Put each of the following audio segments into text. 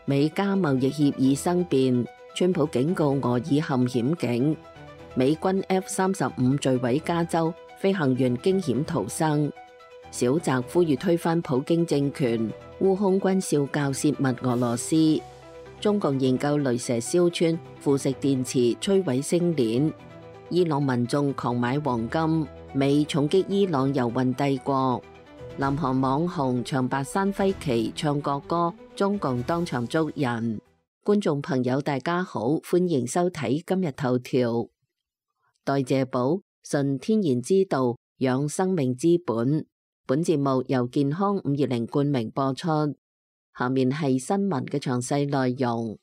美加貿易協議生變，川普警告俄已陷險境。美軍 F-35 墜毀加州，飛行員驚險逃生。小澤呼籲推翻普京政權，烏空軍少校洩密俄羅斯。中共研究雷蛇燒穿腐蝕電池，摧毀星鏈。伊朗民眾狂買黃金，美重擊伊朗油運帝國。南韓網紅長白山揮旗唱國歌，中共當場捉人。觀眾朋友大家好，歡迎收睇今日頭條。代謝寶，純天然之道，養生命之本。本節目由健康520冠名播出。下面係新聞嘅詳細內容。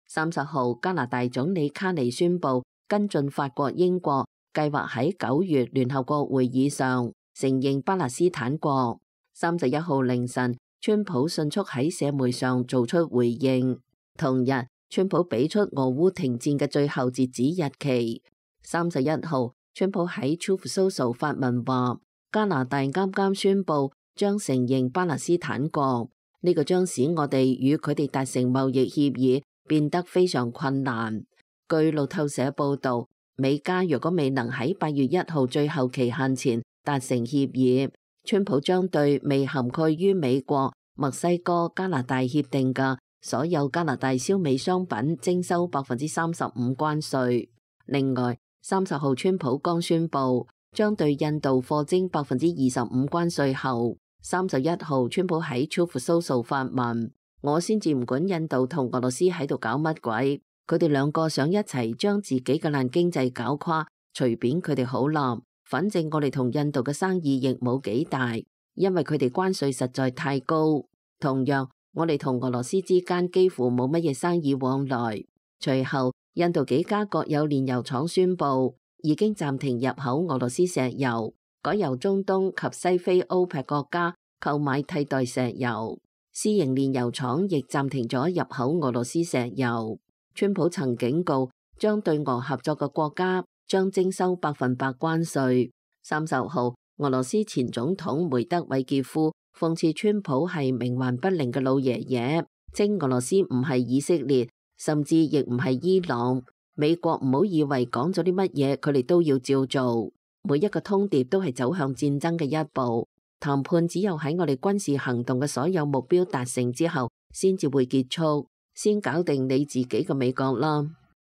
30號，加拿大總理卡尼宣布跟進法國、英國，計劃喺9月聯合國會議上承認巴勒斯坦國。31號凌晨，川普迅速喺社媒上做出回應。同日，川普俾出俄烏停戰嘅最後截止日期。31號，川普喺 Truth Social 發文話，加拿大啱啱宣布將承認巴勒斯坦國，呢個將使我哋與佢哋達成貿易協議變得非常困難。據路透社報道，美加若果未能喺8月1號最後期限前達成協議，川普將對未涵蓋於美國、墨西哥、加拿大協定嘅所有加拿大燒美商品徵收35%關稅。另外，30號川普剛宣布將對印度課徵25%關稅後，31號川普喺 Truth Social 發文，我先至唔管印度同俄羅斯喺度搞乜鬼，佢哋兩個想一齊將自己嘅爛經濟搞垮，隨便佢哋好啦。反正我哋同印度嘅生意亦冇幾大，因為佢哋關稅實在太高。同樣，我哋同俄羅斯之間幾乎冇乜嘢生意往來。隨後，印度幾家國有煉油廠宣布已經暫停入口俄羅斯石油，改由中東及西非 OPEC 國家購買替代石油。私營煉油廠亦暫停咗入口俄羅斯石油。川普曾警告，將對俄合作嘅國家將徵收100%關稅。30號，俄羅斯前總統梅德韋傑夫諷刺川普係冥頑不靈嘅老爺爺，稱俄羅斯唔係以色列，甚至亦唔係伊朗。美國唔好以為講咗啲乜嘢，佢哋都要照做。每一個通牒都係走向戰爭嘅一步。談判只有喺我哋軍事行動嘅所有目標達成之後，先至會結束。先搞定你自己嘅美國啦。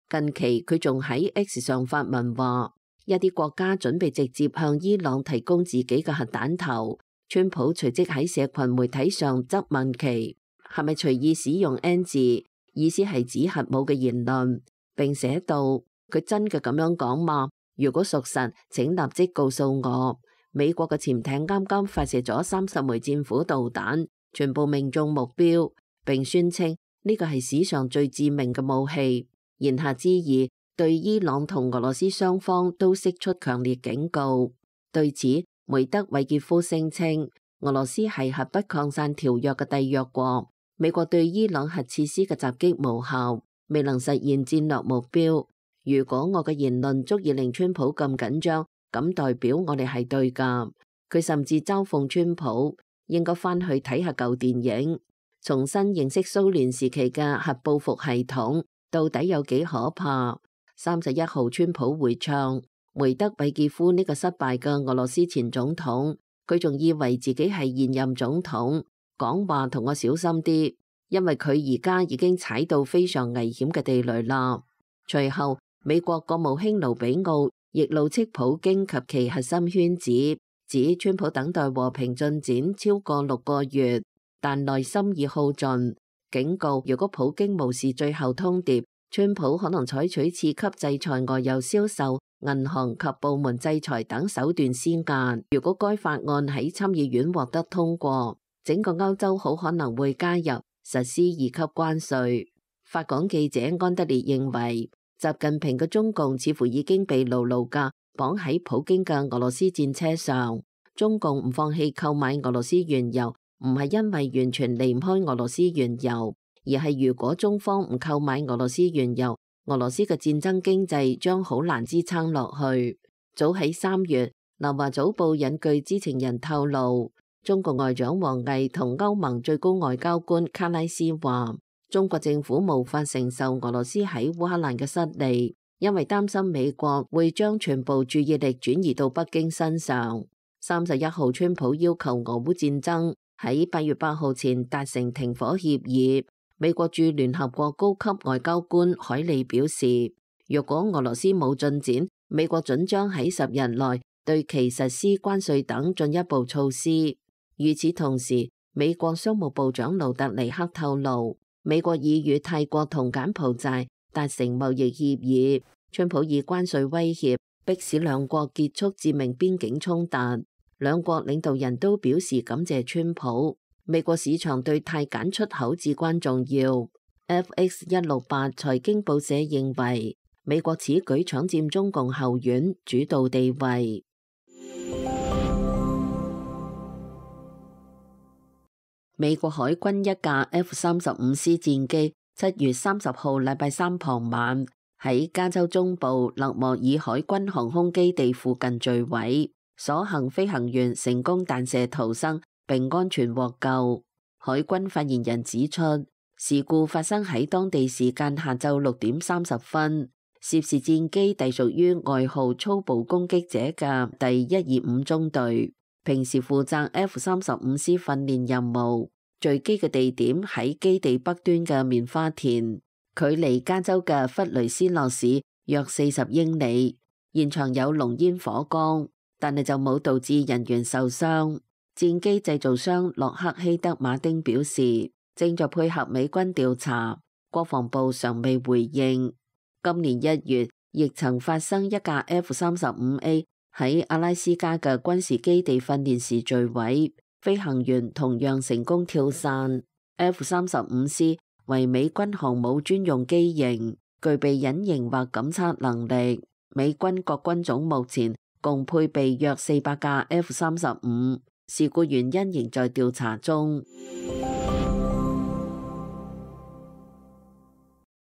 近期佢仲喺 X 上發文話，一啲國家準備直接向伊朗提供自己嘅核彈頭。川普隨即喺社群媒體上質問其係咪隨意使用 N 字，意思係指核武嘅言論，並寫道，佢真嘅咁樣講嗎？如果屬實，請立即告訴我。美國嘅潛艇啱啱發射咗30枚戰斧導彈，全部命中目標，並宣稱呢個係史上最致命嘅武器。言下之意，對伊朗同俄羅斯雙方都釋出強烈警告。對此，梅德韋傑夫聲稱俄羅斯係核不擴散條約嘅締約國，美國對伊朗核設施嘅襲擊無效，未能實現戰略目標。如果我嘅言論足以令川普咁緊張，咁代表我哋係對㗎。佢甚至嘲諷川普應該返去睇下舊電影，重新認識蘇聯時期嘅核報復系統到底有幾可怕。31號川普回唱梅德韋傑夫呢個失敗嘅俄羅斯前總統，佢仲以為自己係現任總統，講話同我小心啲，因為佢而家已經踩到非常危險嘅地雷啦。隨後，美國國務卿盧比奧亦怒斥普京及其核心圈子，指川普等待和平進展超過6個月，但內心已耗盡，警告如果普京無視最後通牒，川普可能採取次級制裁外遊銷售、銀行及部門制裁等手段施壓。如果該法案喺參議院獲得通過，整個歐洲好可能會加入實施2級關稅。法港記者安德烈認為，習近平嘅中共似乎已經被牢牢嘅綁喺普京嘅俄羅斯戰車上。中共唔放棄購買俄羅斯原油，唔係因為完全離唔開俄羅斯原油，而係如果中方唔購買俄羅斯原油，俄羅斯嘅戰爭經濟將好難支撐落去。早喺3月，南華早報引據知情人透露，中國外長王毅同歐盟最高外交官卡拉斯話，中國政府無法承受俄羅斯喺烏克蘭嘅失利，因為擔心美國會將全部注意力轉移到北京身上。31號，川普要求俄烏戰爭喺8月8號前達成停火協議。美國駐聯合國高級外交官海利表示，若果俄羅斯冇進展，美國準將喺10日內對其實施關稅等進一步措施。與此同時，美國商務部長盧特尼克透露，美國已與泰國同柬埔寨達成貿易協議。川普以關稅威脅迫使兩國結束致命邊境衝突。兩國領導人都表示感謝川普。美國市場對泰柬出口至關重要。FX168 財經報社認為，美國此舉搶佔中共後院主導地位。美國海軍一架 F-35C 戰機7月30號禮拜三傍晚喺加州中部勒莫爾海軍航空基地附近墜毀，所幸飛行員成功彈射逃生並安全獲救。海軍發言人指出，事故發生喺當地時間下晝6點30分，涉事戰機隸屬於外號粗暴攻擊者嘅第125中隊，平時負責 F-35C 訓練任務。墜機嘅地點喺基地北端嘅棉花田，距離加州嘅弗雷斯諾市約40英里。現場有濃煙火光，但係就冇導致人員受傷。戰機製造商洛克希德馬丁表示，正在配合美軍調查，國防部尚未回應。今年1月，亦曾發生一架 F-35A 喺阿拉斯加嘅軍事基地訓練時墜毀，飛行員同樣成功跳傘。F-35C 為美軍航母專用機型，具備隱形或感測能力。美軍各軍種目前共配備約400架 F-35，事故原因仍在調查中。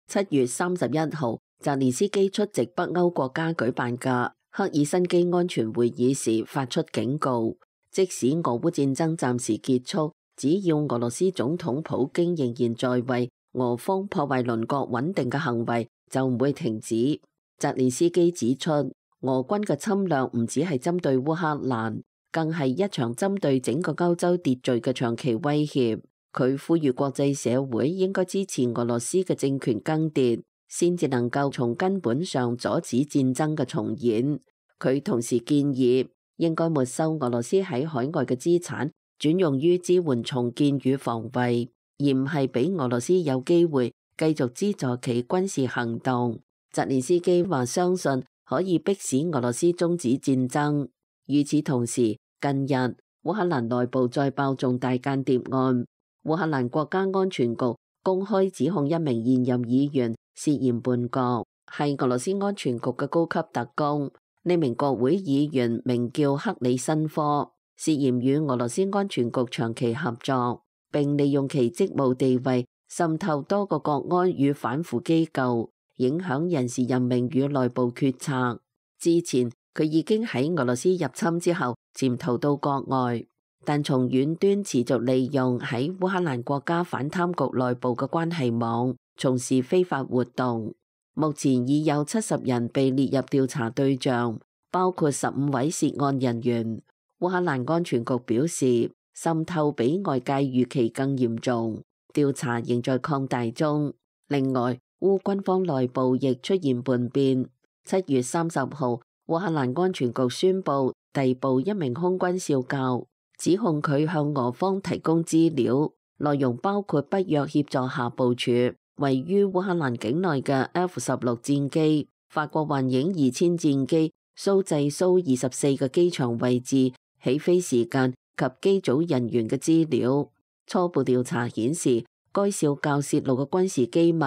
7月31號，澤連斯基出席北歐國家舉辦嘅赫爾辛基安全會議時發出警告，即使俄烏戰爭暫時結束，只要俄羅斯總統普京仍然在位，俄方破壞鄰國穩定嘅行為就唔會停止。澤連斯基指出，俄軍嘅侵略唔只係針對烏克蘭，更係一場針對整個歐洲秩序嘅長期威脅。佢呼籲國際社會應該支持俄羅斯嘅政權更迭，先至能夠從根本上阻止戰爭嘅重演。佢同時建議應該沒收俄羅斯喺海外嘅資產，轉用於支援重建與防衛，而唔係俾俄羅斯有機會繼續資助其軍事行動。澤連斯基話相信可以迫使俄羅斯終止戰爭。與此同時，近日烏克蘭內部再爆重大間諜案。烏克蘭國家安全局公開指控一名現任議員涉嫌叛國，係俄羅斯安全局嘅高級特工。呢名國會議員名叫克里申科，涉嫌與俄羅斯安全局長期合作，並利用其職務地位滲透多個國安與反腐機構，影響人事任命與內部決策。之前佢已經喺俄羅斯入侵之後潛逃到國外，但從遠端持續利用喺烏克蘭國家反貪局內部嘅關係網，從事非法活動。目前已有70人被列入調查對象，包括15位涉案人員。烏克蘭安全局表示，滲透比外界預期更嚴重，調查仍在擴大中。另外，烏軍方內部亦出現叛變。7月30號，烏克蘭安全局宣布逮捕一名空軍少校，指控佢向俄方提供資料，內容包括北約協助下部署位於烏克蘭境內嘅 F-16戰機、法國幻影2000戰機蘇製蘇24嘅機場位置、起飛時間及機組人員嘅資料。初步調查顯示，該少校泄露嘅軍事機密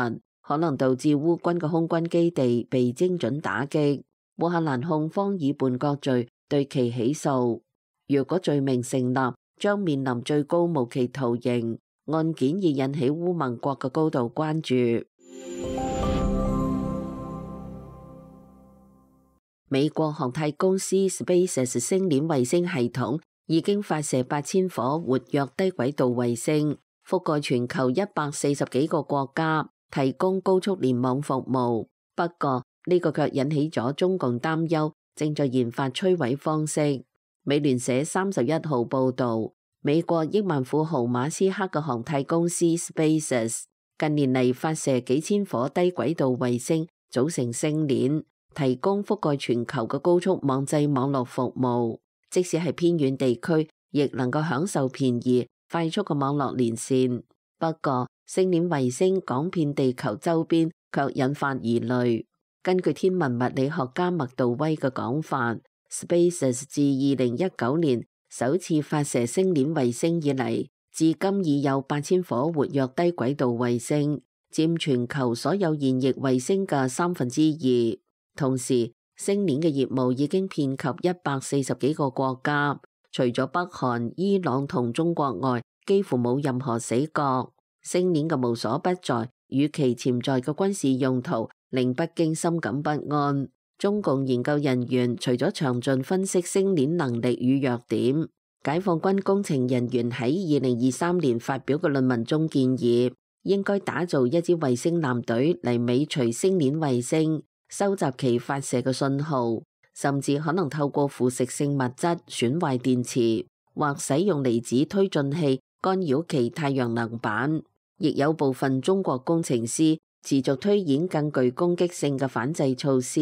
可能導致烏軍嘅空軍基地被精準打擊。烏克蘭控方以叛國罪對其起訴，若果罪名成立，將面臨最高無期徒刑。案件已引起烏盟國嘅高度關注。美國航太公司 SpaceX 星鏈衛星系統已經發射8000顆活躍低軌道衛星，覆蓋全球140幾個國家，提供高速聯網服務。不過呢個卻引起咗中共擔憂，正在研發摧毀方式。美聯社31號報導，美國億萬富豪馬斯克嘅航太公司 SpaceX 近年嚟發射幾千顆低軌道衛星，組成星鏈，提供覆蓋全球嘅高速網際網絡服務。即使係偏遠地區，亦能夠享受便宜、快速嘅網絡連線。不過，星鏈衛星廣遍地球周邊，卻引發疑慮。根據天文物理學家麥道威嘅講法，SpaceX 自2019年首次發射星鏈衛星以嚟，至今已有8000顆活躍低軌道衛星，佔全球所有現役衛星嘅2/3。同時，星鏈嘅業務已經遍及140幾個國家，除咗北韓、伊朗同中國外，幾乎冇任何死角。星鏈嘅無所不在與其潛在嘅軍事用途，令北京深感不安。中共研究人員除咗詳盡分析星鏈能力與弱點，解放軍工程人員喺2023年發表嘅論文中建議，應該打造一支衛星艦隊嚟尾隨星鏈衛星，收集其發射嘅信號，甚至可能透過腐蝕性物質損壞電池，或使用離子推進器干擾其太陽能板。亦有部分中國工程師持續推演更具攻擊性嘅反制措施，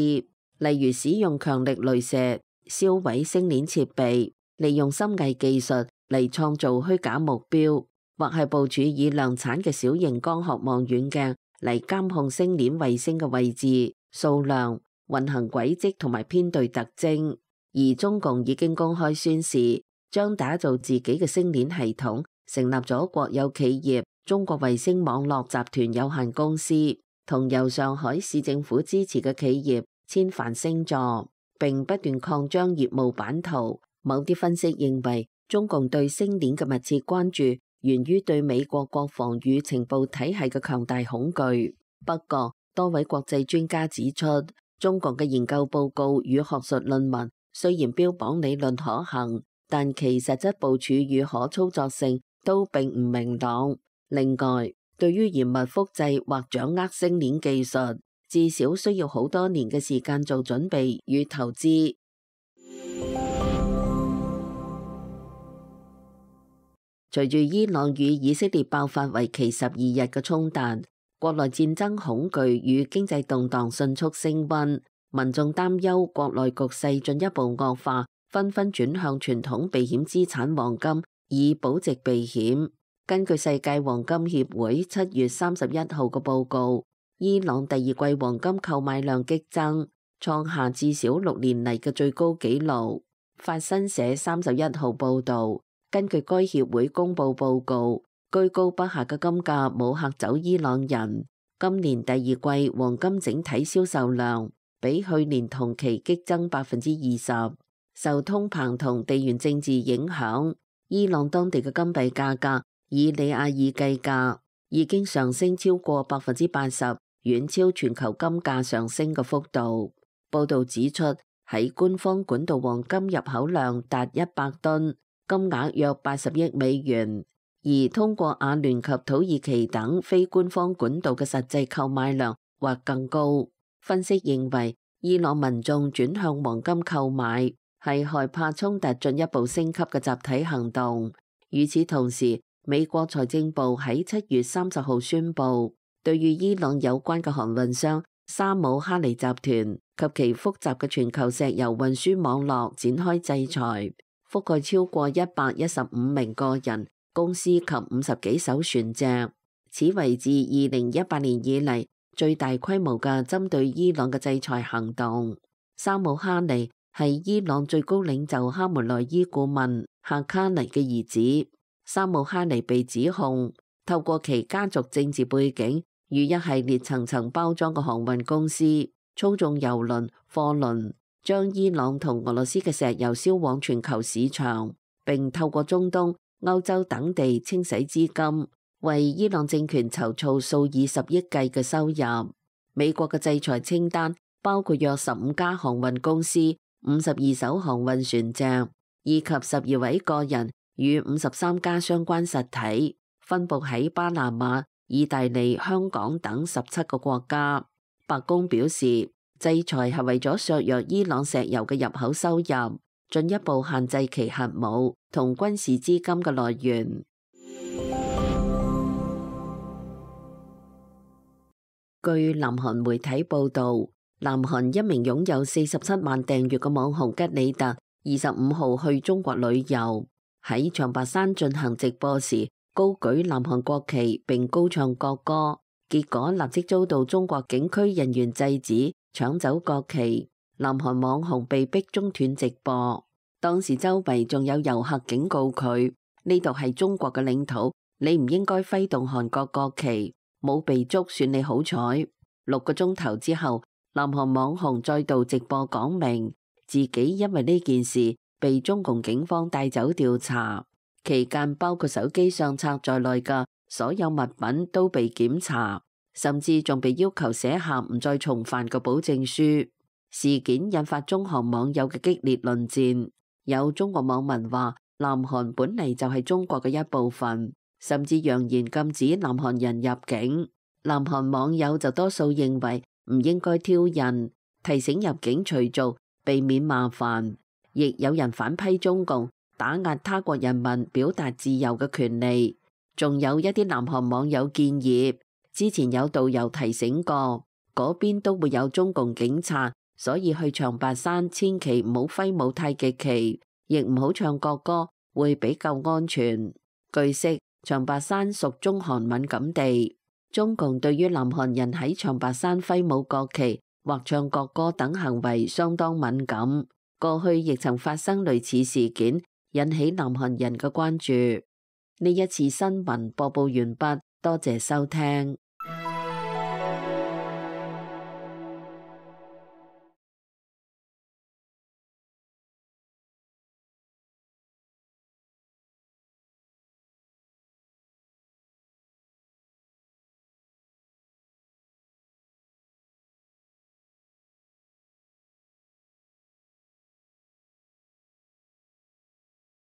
例如使用強力雷射燒毀星鏈設備，利用深偽技術嚟創造虛假目標，或係部署以量產嘅小型光學望遠鏡嚟監控星鏈衛星嘅位置、數量、運行軌跡同埋編隊特徵。而中共已經公開宣示，將打造自己嘅星鏈系統，成立咗國有企業中國衛星網絡集團有限公司，同由上海市政府支持嘅企業千帆星座，並不斷擴張業務版圖。某啲分析認為，中共對星鏈嘅密切關注源於對美國國防與情報體系嘅強大恐懼。不過，多位國際專家指出，中共嘅研究報告與學術論文雖然標榜理論可行，但其實質部署與可操作性都並唔明朗。另外，對於嚴密複製或掌握星鏈技術，至少需要好多年嘅時間做準備與投資。隨住伊朗與以色列爆發為期12日嘅衝突，國內戰爭恐懼與經濟動盪迅速升溫，民眾擔憂國內局勢進一步惡化，紛紛轉向傳統避險資產黃金以保值避險。根據世界黃金協會7月31號嘅報告，伊朗第二季黃金購買量激增，創下至少6年嚟嘅最高紀錄。法新社31號報導，根據該協會公佈報告，居高不下嘅金價冇嚇走伊朗人。今年第二季黃金整體銷售量比去年同期激增20%。受通膨同地緣政治影響，伊朗當地嘅金幣價格以里亞爾計價已經上升超過80%，遠超全球金價上升嘅幅度。報導指出，喺官方管道黃金入口量達100噸，金額約80億美元，而通過阿聯及土耳其等非官方管道嘅實際購買量或更高。分析認為，伊朗民眾轉向黃金購買係害怕衝突進一步升級嘅集體行動。與此同時，美國財政部喺7月30號宣布，對與伊朗有關嘅航運商沙姆哈尼集團及其複雜嘅全球石油運輸網絡展開制裁，覆蓋超過115名個人、公司及50幾艘船隻。此為自2018年以嚟最大規模嘅針對伊朗嘅制裁行動。沙姆哈尼係伊朗最高領袖哈梅內伊顧問夏卡尼嘅兒子。沙姆哈尼被指控透過其家族政治背景與一系列層層包裝嘅航運公司，操縱油輪、貨輪，將伊朗同俄羅斯嘅石油銷往全球市場，並透過中東、歐洲等地清洗資金，為伊朗政權籌措數以10億計嘅收入。美國嘅制裁清單包括約15家航運公司、52艘航運船隻，以及12位個人與53家相關實體，分佈喺巴拿馬、意大利、香港等17個國家。白宮表示，制裁係為咗削弱伊朗石油嘅入口收入，進一步限制其核武同軍事資金嘅來源。據南韓媒體報導，南韓一名擁有47萬訂閱嘅網紅吉里特25號去中國旅遊，喺長白山進行直播時高舉南韓國旗並高唱國歌，結果立即遭到中國警區人員制止，搶走國旗。南韓網紅被逼中斷直播，當時周圍仲有遊客警告佢：呢度係中國嘅領土，你唔應該揮動韓國國旗。冇被捉算你好彩。6個鐘頭之後，南韓網紅再度直播講明自己因為呢件事被中共警方帶走調查，期間包括手機相冊在內嘅所有物品都被檢查，甚至仲被要求寫下唔再重犯嘅保證書。事件引發中韓網友嘅激烈論戰，有中國網民話南韓本嚟就係中國嘅一部分，甚至揚言禁止南韓人入境。南韓網友就多數認為唔應該挑釁，提醒入境隨俗，避免麻煩。亦有人反批中共打壓他國人民表達自由嘅權利。仲有一啲南韓網友建議，之前有導遊提醒過，嗰邊都會有中共警察，所以去長白山千祈唔好揮舞太極旗，亦唔好唱國歌，會比較安全。據悉，長白山屬中韓敏感地，中共對於南韓人喺長白山揮舞國旗或唱國歌等行為相當敏感。過去亦曾發生類似事件，引起南韓人嘅關注。呢一次新聞播報完畢，多謝收聽。